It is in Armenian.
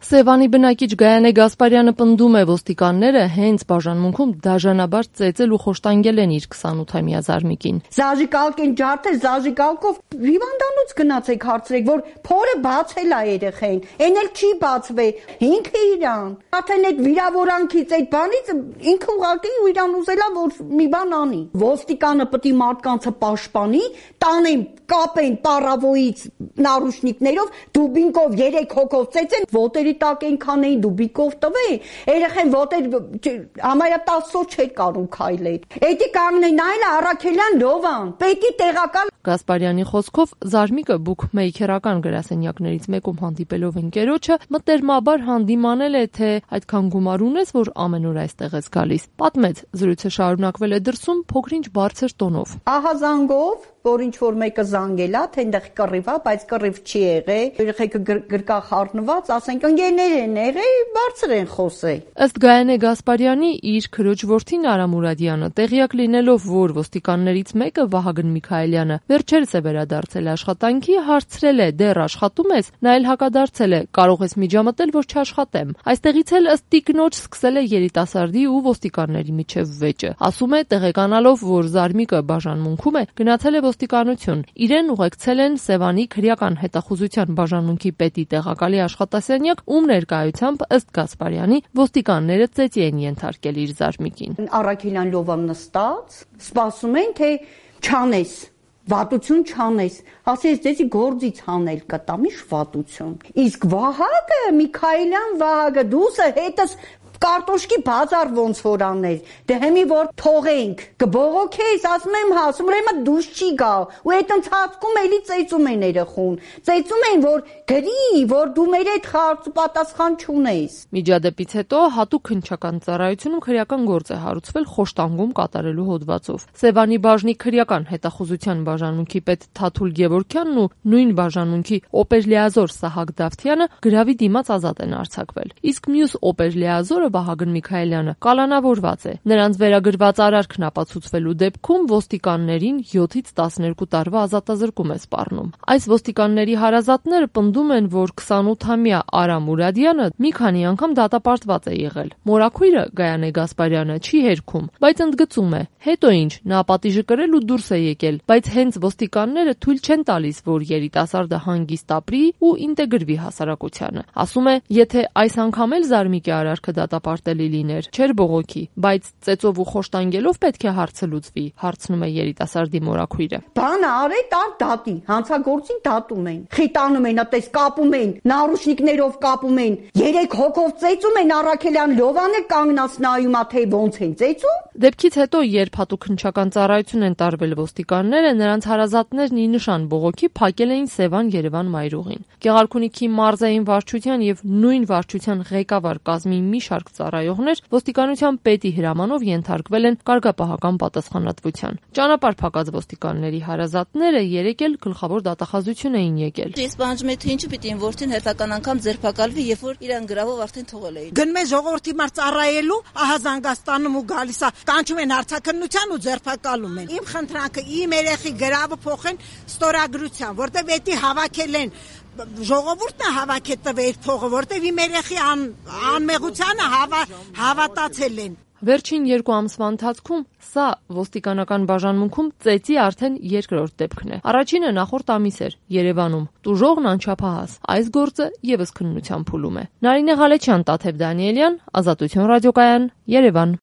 Սևանի բնակիչ Գայանե Գասպարյանը պնդում է, ոստիկանները հենց բաժանմունքում դաժանաբար ծեծել ու խոշտանգել են իր 28-ամյա զարմիկին։ Զաժիկալկ են ջարդել, զաժիկալկով հիվանդանոց գնացեք հարցրեք, որ փորը բացել է երեխային, այն էլ չի բացվել, ինքը իրան։ Արդեն այդ վիրավորանքից, այդ բանից ինքը ուղղակի իրան ուզելա, որ մի բան անի։ Ոստիկանը պետք է մարդկանցը պաշտպանի, տանեն, կապեն պարավոյից նարուշնիկներով, դուբինկով 3 հոգով ծեծեն, ոտերի տակ այնքան էին դուբիկով տվեին, երեխեն ոտեր համարյա 10 օր չէր կարող քայլել։ Էդի կանգնեն նայել Առաքելյան Լովան, պետք է տեղակալ։ Գասպարյանի խոսքով զարմիկը բուքմեյքերական գրասենյակներից մեկում հանդիպելով ընկերոջը մտերմաբար հանդիմանել է, թե այդքան գումար ունես, որ ամեն օր այստեղ ես գալիս։ Պատմեց, զրույցը շարունակվել է դրսում փոքրինչ բարձր տոնով։ Ահա զանգով, որ ինչ որ մեկը զանգելա, թե այնտեղ կռիվ է, բայց կռիվ չի եղել։ Երեխեքը գրկա խառնված, ասենք ընկերներ են եղել, բարձր են խոսել։ Ըստ Գայանե Գասպարյանի, իր քրոջ որդին Արա Մուրադյանը տեղյակ լինելով, որ ոստիկաններից մեկը Վահագն Միքայելյանը վերջերս է վերադարձել աշխատանքի, հարցրել է՝ դեռ աշխատում ես, նա էլ հակադարձել է՝ կարող ես միջամտել, որ չաշխատեմ։ Այստեղից էլ ըստ տիկնոջ սկսել է երիտասարդի ու ոստիկանների միջև վեճը։ Ասում է, տեղեկանալով, որ զարմիկը բաժանմունքում է, գնացել է ոստիկանություն։ Իրեն ուղեկցել են Սևանի քրեական հետախուզության բաժանմունքի պետի տեղակալի աշխատասենյակ, ում ներկայությամբ ըստ Գասպարյանի ոստիկանները ծեծի են ենթարկել իր զարմիկին։ Առաքելյան Լովան նստած, սպասում են, թե չանես, վատություն չանես, ասես դեզի գործից հանել կտամ, իշ վատություն։ Իսկ Վահագը, Միքայելյան Վահագը, դուսը հետս կարտոշկի բազար ոնց որ աներ, դե հիմի որ թողենք, կբողոքեիս, ասում եմ հասում, ուրեմն դուս չի գա, ու այդ ընթացքում էլի ծեծում են երեխուն, ծեծում են, որ գրի, որ դու մեր այդ խարծ ու պատասխան չունես։ Միջադեպից հետո հատուկ քննչական ծառայությունում քրեական գործ է հարուցվել խոշտանգում կատարելու հոդվածով։ Սևանի բաժնի քրեական հետախուզության բաժանմունքի պետ Թաթուլ Գևորգյանն ու նույն բաժանմունքի օպերլիազոր Սահակ Դավթյանը գրավի դիմաց ազատ են արձակվել։ Իսկ մյուս օպերլիազորը Վահագն Միքայելյանը կալանավորված է։ Նրանց վերագրված արարքն ապացուցվելու դեպքում ոստիկաններին 7-ից 12 տարվա ազատազրկում է սպառնում։ Այս ոստիկանների հարազատները պնդում են, որ 28-ամյա Արա Մուրադյանը մի քանի անգամ դատապարտված է եղել։ Մորաքույրը Գայանե Գասպարյանը չի հերքում, բայց ընդգծում է, հետո ինչ, նա պատիժը կրել ու դուրս է եկել, բայց հենց ոստիկանները թույլ չեն տալիս, որ երիտասարդը հանգիստ ապրի ու ինտեգրվի հասարակությանը։ Ասում է, եթե այս անգամ էլ զարմիկի արարքը դատապարտելի լիներ, չէր բողոքի, բայց ծեծով ու խոշտանգելով պետք է հարցը լուծվի, հարցնում է երիտասարդի մորաքույրը։ Բանը արե տար դատի, հանցագործին դատում են, խիտանում են, այդպես կապում են, նարուշնիկներով կապում են, 3 հոգով ծեծում են, Առաքելյան Լովանը կանգնած նայում է, թե ոնց են ծեծում։ Դեպքից հետո, երբ հատուկ քննչական ծառայություն են տարվել ոստիկանները, նրանց հարազատներն ի նշան բողոքի փակել էին Սևան-Երևան մայրուղին։ Գեղարքունիքի մարզային վարչության եւ նույն վարչության ղեկավար կազմի մի շարք ծառայողներ ոստիկանության պետի հրամանով ենթարկվել են կարգապահական պատասխանատվության։ Ճանապարհ փակած ոստիկանների հարազատները երեկ էլ գլխավոր դատախազություն էին եկել։ Ես պահանջում եմ, թե ինչու պիտի իմ որդին հերթական անգամ ձերբակալվի, երբ որ իրան գրավով արդեն թողել էին։ Գնում է ժողովրդի մար ծառայելու, ահա զանգաստանում ու գալիս է, կանչում են հարցաքննության ու ձերբակալում են։ Իմ խնդրանքը իմ երեխի գրավը փոխեն ստորագրության, որտեվ էդի հավաքել են ժողովուրդն է հավաքել տվել փողը, որտեվ իմ երեխի անմեղությանը հավատացել են։ Վերջին 2 ամսվա ընթացքում սա ոստիկանական բաժանմունքում ծեծի արդեն երկրորդ դեպքն է։ Առաջինը նախորդ ամիս էր Երևանում։ Տուժողն անչափահաս։ Այս գործը եւս քննության փուլում է։ Նարինե Ղալեչյան, Տաթև Դանիելյան, Ազատություն ռադիոկայան, Երևան։